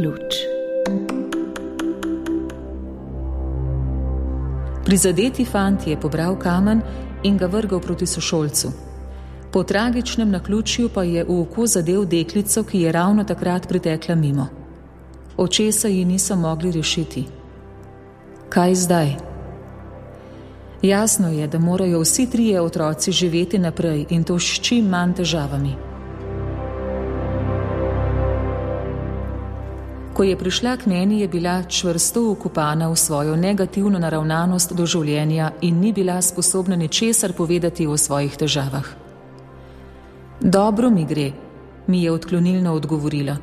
luč. Prizadeti fant je pobral kamen in ga vrgal proti sošolcu. Po tragičnem naključju pa je v oko zadel deklico, ki je ravno takrat pritekla mimo. Očesa ji niso mogli rešiti. Kaj zdaj? Jasno je, da morajo vsi trije otroci živeti naprej in to s čim manj težavami. Ko je prišla k meni, je bila čvrsto vkopana v svojo negativno naravnanost do življenja in ni bila sposobna ničesar povedati o svojih težavah. Dobro mi gre, mi je odklonilno odgovorila,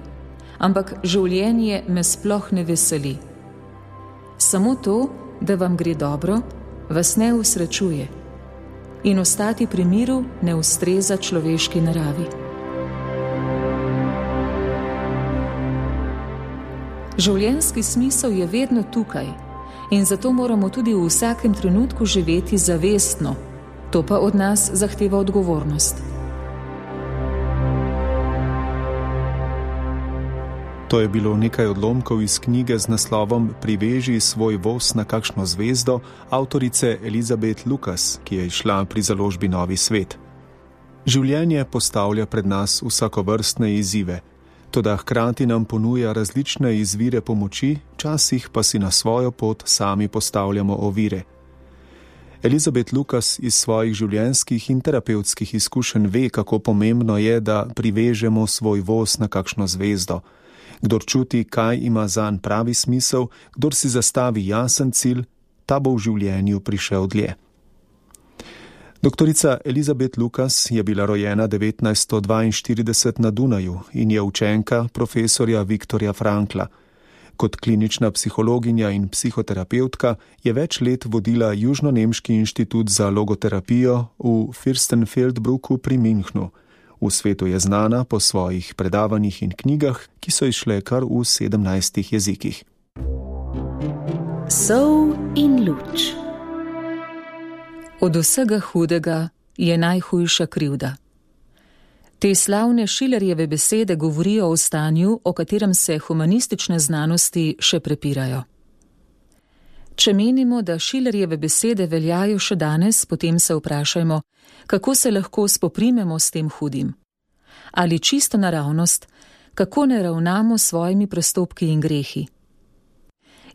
ampak življenje me sploh ne veseli. Samo to, da vam gre dobro, vas ne usrečuje in ostati pri miru ne ustreza človeški naravi. Življenjski smisel je vedno tukaj in zato moramo tudi v vsakem trenutku živeti zavestno. To pa od nas zahteva odgovornost. To je bilo nekaj odlomkov iz knjige z naslovom Priveži svoj voz na kakšno zvezdo avtorice Elizabeth Lucas, ki je izšla pri založbi Novi svet. Življenje postavlja pred nas vsakovrstne izzive, toda hkrati nam ponuja različne izvire pomoči, včasih pa si na svojo pot sami postavljamo ovire. Elizabeth Lucas iz svojih življenjskih in terapevtskih izkušenj ve, kako pomembno je, da privežemo svoj voz na kakšno zvezdo. Kdor čuti, kaj ima zanj pravi smisel, kdor si zastavi jasen cilj, ta bo v življenju prišel dlje. Doktorica Elizabeth Lucas je bila rojena 1942 na Dunaju in je učenka profesorja Viktorja Frankla. Kot klinična psihologinja in psihoterapeutka je več let vodila Južnonemški inštitut za logoterapijo v Fürstenfeldbrucku pri Münchnu. V svetu je znana po svojih predavanjih in knjigah, ki so izšle kar v 17 jezikih. Sol in luč. Od vsega hudega je najhujša krivda. Te slavne Schillerjeve besede govorijo o stanju, o katerem se humanistične znanosti še prepirajo. Če menimo, da Schillerjeve besede veljajo še danes, potem se vprašajmo, kako se lahko spoprimemo s tem hudim. Ali čisto naravnost, kako ne ravnamo s svojimi prestopki in grehi.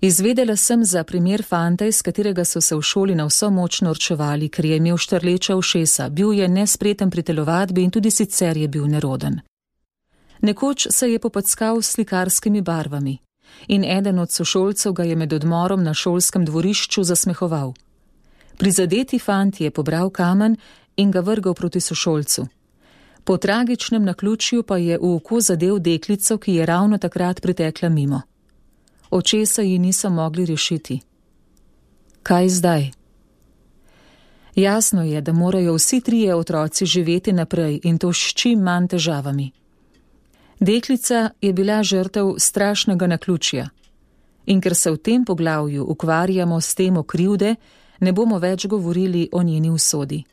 Izvedela sem za primer fanta, iz katerega so se v šoli na vso moč norčevali, ker je imel štrleča ušesa, bil je nespreten pri telovadbi in tudi sicer je bil neroden. Nekoč se je popackal s slikarskimi barvami in eden od sošolcev ga je med odmorom na šolskem dvorišču zasmehoval. Prizadeti fant je pobral kamen in ga vrgal proti sošolcu. Po tragičnem naključju pa je v oko zadel deklico, ki je ravno takrat pritekla mimo. Očesa ji niso mogli rešiti. Kaj zdaj? Jasno je, da morajo vsi trije otroci živeti naprej in to s čim manj težavami. Deklica je bila žrtev strašnega naključja in ker se v tem poglavju ukvarjamo s temo krivde, ne bomo več govorili o njeni usodi.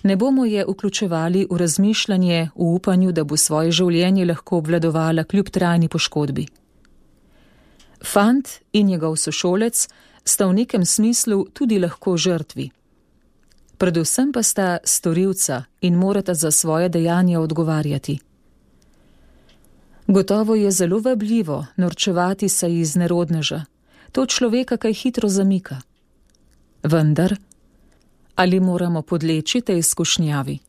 Ne bomo je vključevali v razmišljanje v upanju, da bo svoje življenje lahko obvladovala kljub trajni poškodbi. Fant in njegov sošolec sta v nekem smislu tudi lahko žrtvi. Predvsem pa sta storilca in morata za svoje dejanja odgovarjati. Gotovo je zelo vabljivo norčevati se iz nerodneža. To človeka kaj hitro zamika. Vendar, ali moramo podleči tej izkušnjavi?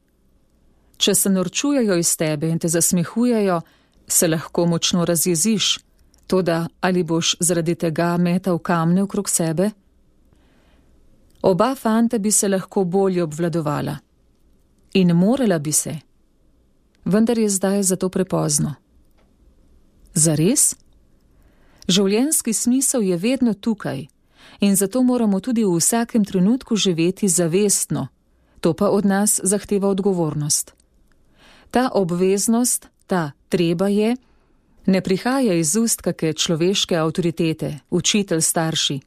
Če se norčujejo iz tebe in te zasmehujejo, se lahko močno razjeziš, toda ali boš zaradi tega metal kamne okrog sebe? Oba fanta bi se lahko bolje obvladovala. In morala bi se. Vendar je zdaj zato prepozno. Zares? Življenjski smisel je vedno tukaj in zato moramo tudi v vsakem trenutku živeti zavestno. To pa od nas zahteva odgovornost. Ta obveznost, ta treba je, ne prihaja iz ust kake človeške avtoritete, učitelj, starši,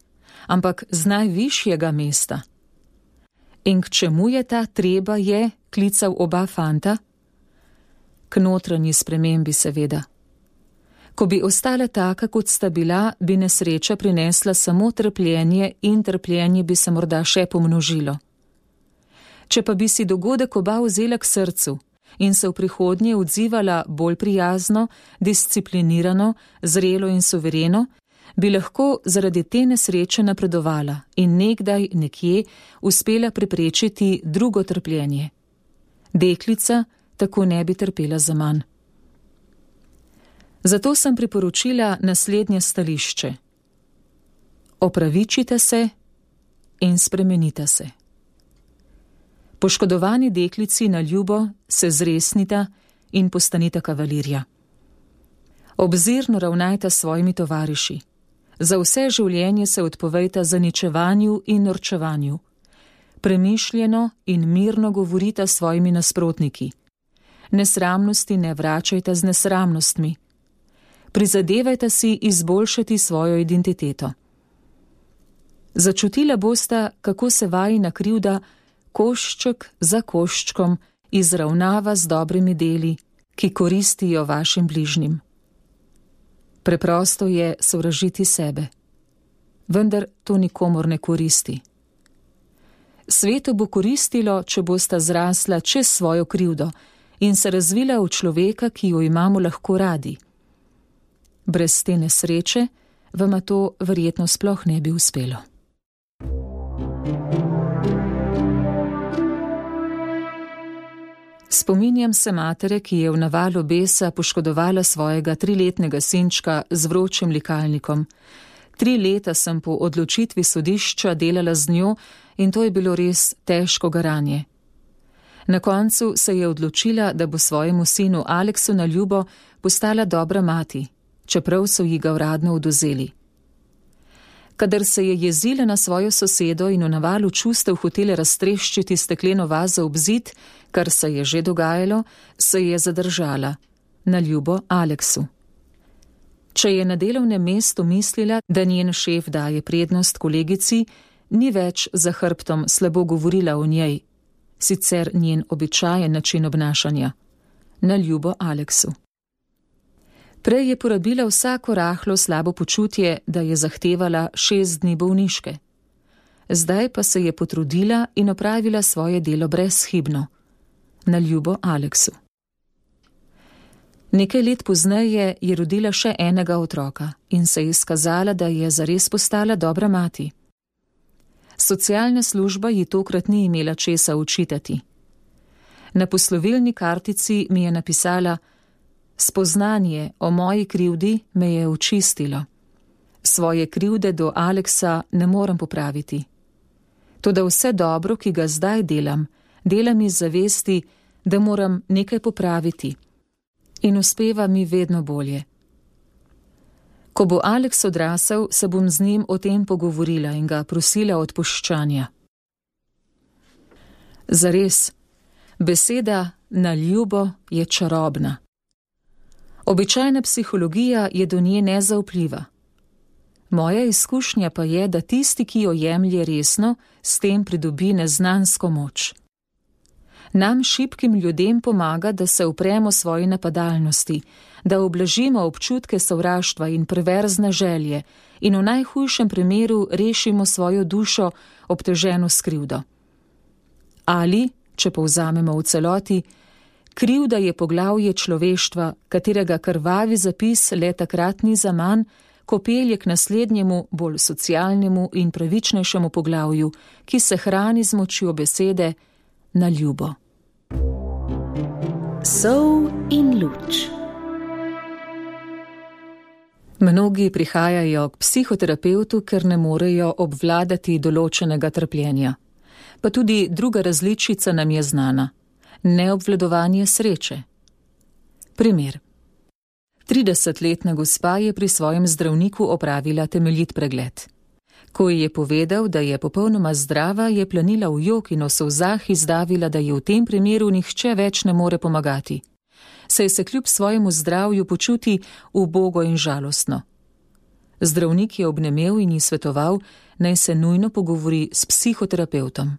ampak z najvišjega mesta. In k čemu je ta treba je klical oba fanta? K notranji spremembi seveda. Ko bi ostala taka, kot sta bila, bi nesreča prinesla samo trpljenje in trpljenje bi se morda še pomnožilo. Če pa bi si dogodek oba vzela k srcu in se v prihodnje odzivala bolj prijazno, disciplinirano, zrelo in suvereno, bi lahko zaradi te nesreče napredovala in nekdaj nekje uspela preprečiti drugo trpljenje. Deklica tako ne bi trpela zaman. Zato sem priporočila naslednje stališče. Opravičite se in spremenite se. Poškodovani deklici na ljubo se zresnita in postanita kavalirja. Obzirno ravnajta s svojimi tovariši. Za vse življenje se odpovejta zaničevanju in norčevanju. Premišljeno in mirno govorita s svojimi nasprotniki. Nesramnosti ne vračajta z nesramnostmi. Prizadevajta si izboljšati svojo identiteto. Začutila bosta, kako se vajina krivda košček za koščkom izravnava z dobrimi deli, ki koristijo vašim bližnjim. Preprosto je sovražiti sebe, vendar to nikomur ne koristi. Svetu bo koristilo, če bosta zrasla čez svojo krivdo in se razvila v človeka, ki jo imamo lahko radi. Brez te nesreče vama to verjetno sploh ne bi uspelo. Spominjam se matere, ki je v navalu besa poškodovala svojega 3-letnega sinčka z vročim likalnikom. 3 leta sem po odločitvi sodišča delala z njo in to je bilo res težko garanje. Na koncu se je odločila, da bo svojemu sinu Aleksu na ljubo postala dobra mati, čeprav so ji ga uradno odvzeli. Kadar se je jezila na svojo sosedo in v navalu čustev hotela raztreščiti stekleno vazo ob zid, kar se je že dogajalo, se je zadržala, na ljubo Aleksu. Če je na delovnem mestu mislila, da njen šef daje prednost kolegici, ni več za hrbtom slabo govorila o njej, sicer njen običajen način obnašanja, na ljubo Aleksu. Prej je porabila vsako rahlo slabo počutje, da je zahtevala 6 dni bolniške. Zdaj pa se je potrudila in opravila svoje delo brezhibno, na ljubo Aleksu. Nekaj let pozneje je rodila še enega otroka in se je izkazala, da je zares postala dobra mati. Socialna služba ji tokrat ni imela česa učitati. Na poslovilni kartici mi je napisala: spoznanje o moji krivdi me je očistilo. Svoje krivde do Aleksa ne morem popraviti. Toda vse dobro, ki ga zdaj delam iz zavesti, da moram nekaj popraviti. In uspeva mi vedno bolje. Ko bo Aleks odrasel, se bom z njim o tem pogovorila in ga prosila odpuščanja. Zares, beseda na ljubo je čarobna. Običajna psihologija je do nje nezaupljiva. Moja izkušnja pa je, da tisti, ki jo jemlje resno, s tem pridobi neznansko moč. Nam, šibkim ljudem, pomaga, da se upremo svoji napadalnosti, da ublažimo občutke sovraštva in perverzne želje in v najhujšem primeru rešimo svojo dušo obteženo s krivdo. Ali, če povzamemo v celoti, krivda je poglavje človeštva, katerega krvavi zapis le takrat ni zaman, ko pelje k naslednjemu, bolj socialnemu in pravičnejšemu poglavju, ki se hrani z močjo besede na ljubo. Sol in luč. Mnogi prihajajo k psihoterapevtu, ker ne morejo obvladati določenega trpljenja. Pa tudi druga različica nam je znana. Neobvladovanje sreče. Primer. 30-letna gospa je pri svojem zdravniku opravila temeljit pregled. Ko ji je povedal, da je popolnoma zdrava, je planila v jok in v solzah izdavila, da ji v tem primeru nihče več ne more pomagati. Saj se kljub svojemu zdravju počuti ubogo in žalostno. Zdravnik je obnemel in ji svetoval, naj se nujno pogovori s psihoterapevtom.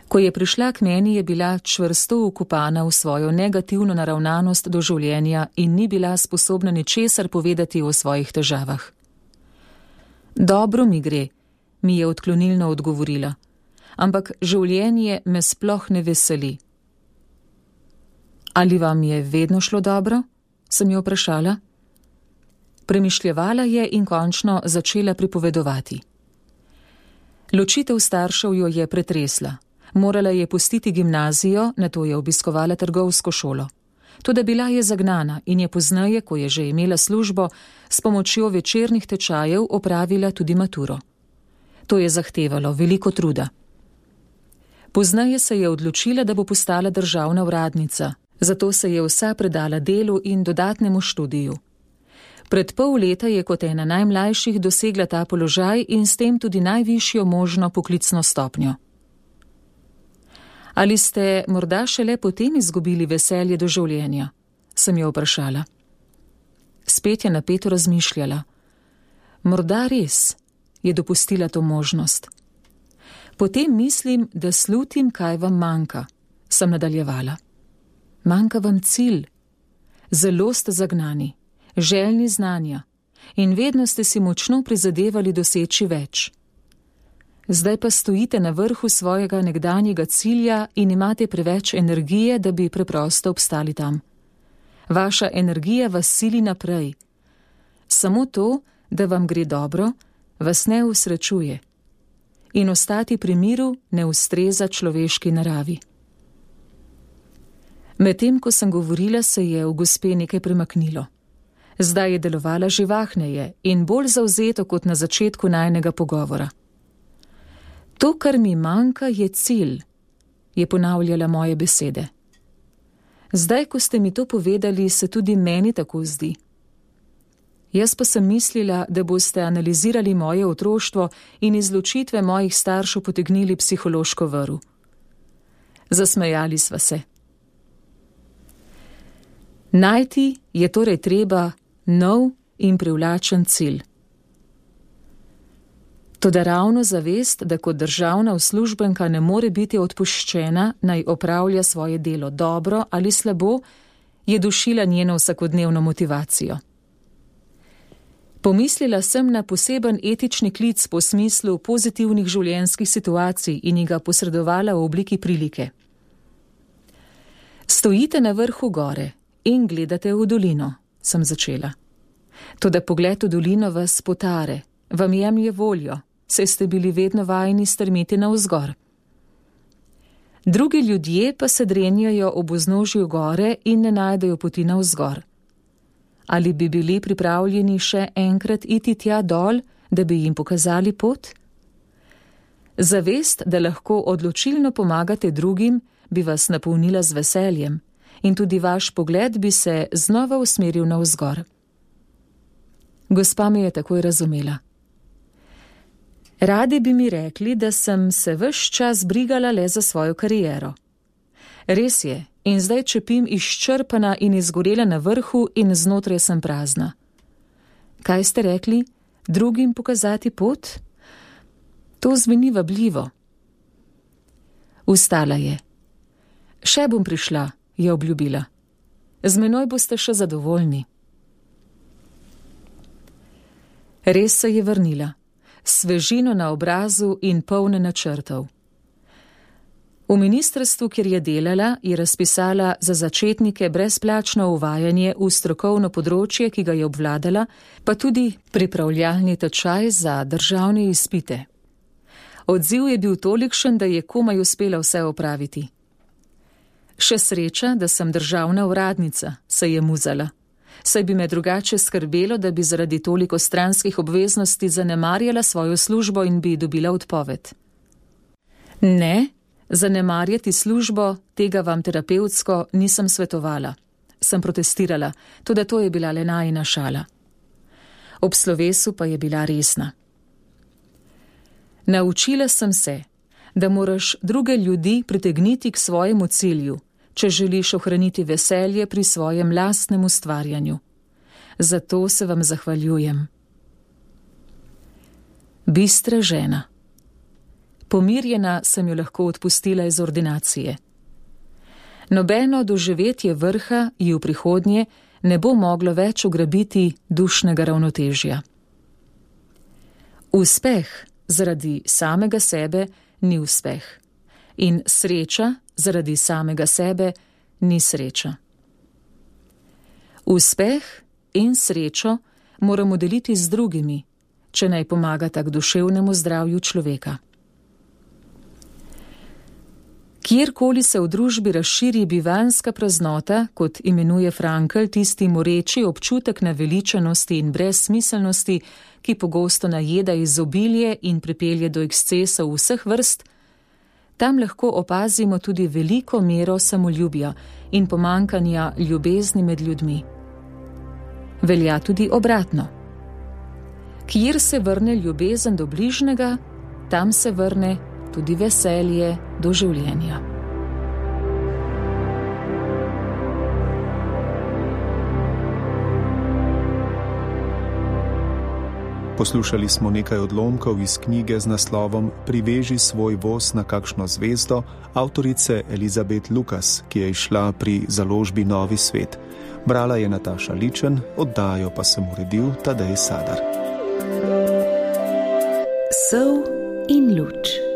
Ko je prišla k meni, je bila čvrsto vkopana v svojo negativno naravnanost do življenja in ni bila sposobna ničesar povedati o svojih težavah. Dobro mi gre, mi je odklonilno odgovorila, ampak življenje me sploh ne veseli. Ali vam je vedno šlo dobro? Sem jo vprašala. Premišljevala je in končno začela pripovedovati. Ločitev staršev jo je pretresla. Morala je pustiti gimnazijo, nato je obiskovala trgovsko šolo. Toda bila je zagnana in je pozneje, ko je že imela službo, s pomočjo večernih tečajev opravila tudi maturo. To je zahtevalo veliko truda. Pozneje se je odločila, da bo postala državna uradnica, zato se je vsa predala delu in dodatnemu študiju. Pred pol leta je kot ena najmlajših dosegla ta položaj in s tem tudi najvišjo možno poklicno stopnjo. Ali ste morda šele potem izgubili veselje do življenja? Sem jo vprašala. Spet je napeto razmišljala. Morda res, je dopustila to možnost. Potem mislim, da slutim, kaj vam manjka, sem nadaljevala. Manjka vam cilj. Zelo ste zagnani, željni znanja in vedno ste si močno prizadevali doseči več. Zdaj pa stojite na vrhu svojega nekdanjega cilja in imate preveč energije, da bi preprosto obstali tam. Vaša energija vas sili naprej. Samo to, da vam gre dobro, vas ne usrečuje. In ostati pri miru ne ustreza človeški naravi. Medtem, ko sem govorila, se je v gospe nekaj premaknilo. Zdaj je delovala živahneje in bolj zavzeto kot na začetku najinega pogovora. To, kar mi manjka, je cilj, je ponavljala moje besede. Zdaj, ko ste mi to povedali, se tudi meni tako zdi. Jaz pa sem mislila, da boste analizirali moje otroštvo in iz ločitve mojih staršev potegnili psihološko vrv. Zasmejali sva se. Najti je torej treba nov in privlačen cilj. Toda ravno zavest, da kot državna uslužbenka ne more biti odpuščena, naj opravlja svoje delo dobro ali slabo, je dušila njeno vsakodnevno motivacijo. Pomislila sem na poseben etični klic po smislu pozitivnih življenjskih situacij in ji ga posredovala v obliki prilike. Stojite na vrhu gore in gledate v dolino, sem začela. Toda pogled v dolino vas potare, vam jemlje voljo, saj ste bili vedno vajeni strmeti navzgor. Drugi ljudje pa se drenjajo ob vznožju gore in ne najdejo poti navzgor. Ali bi bili pripravljeni še enkrat iti tja dol, da bi jim pokazali pot? Zavest, da lahko odločilno pomagate drugim, bi vas napolnila z veseljem in tudi vaš pogled bi se znova usmeril navzgor. Gospa me je takoj razumela. Radi bi mi rekli, da sem se ves čas brigala le za svojo kariero. Res je, in zdaj čepim izčrpana in izgorela na vrhu in znotraj sem prazna. Kaj ste rekli? Drugim pokazati pot? To zveni vabljivo. Vstala je. Še bom prišla, je obljubila. Z menoj boste še zadovoljni. Res se je vrnila. Svežino na obrazu in polne načrtov. V ministrstvu, kjer je delala, je razpisala za začetnike brezplačno uvajanje v strokovno področje, ki ga je obvladala, pa tudi pripravljalni tečaj za državne izpite. Odziv je bil tolikšen, da je komaj uspela vse opraviti. Še sreča, da sem državna uradnica, se je muzala. Saj bi me drugače skrbelo, da bi zaradi toliko stranskih obveznosti zanemarjala svojo službo in bi dobila odpoved. Ne, zanemarjati službo, tega vam terapevtsko nisem svetovala. Sem protestirala, toda to je bila le najina šala. Ob slovesu pa je bila resna. Naučila sem se, da moraš druge ljudi pritegniti k svojemu cilju, če želiš ohraniti veselje pri svojem lastnem ustvarjanju. Zato se vam zahvaljujem. Bistra žena. Pomirjena sem jo lahko odpustila iz ordinacije. Nobeno doživetje vrha ji v prihodnje ne bo moglo več ugrabiti dušnega ravnotežja. Uspeh zaradi samega sebe ni uspeh in sreča zaradi samega sebe ni sreča. Uspeh in srečo moramo deliti z drugimi, če naj pomagata k duševnemu zdravju človeka. Kjerkoli se v družbi razširi bivanjska praznota, kot imenuje Frankl tisti moreči občutek naveličanosti in brezsmiselnosti, ki pogosto najeda izobilje in pripelje do ekscesov vseh vrst, tam lahko opazimo tudi veliko mero samoljubja in pomankanja ljubezni med ljudmi. Velja tudi obratno. Kjer se vrne ljubezen do bližnjega, tam se vrne tudi veselje do življenja. Poslušali smo nekaj odlomkov iz knjige z naslovom Priveži svoj voz na kakšno zvezdo avtorice Elizabeth Lucas, ki je izšla pri založbi Novi svet. Brala je Nataša Ličen, oddajo pa sem uredil Tadej Sadar. Sol in luč.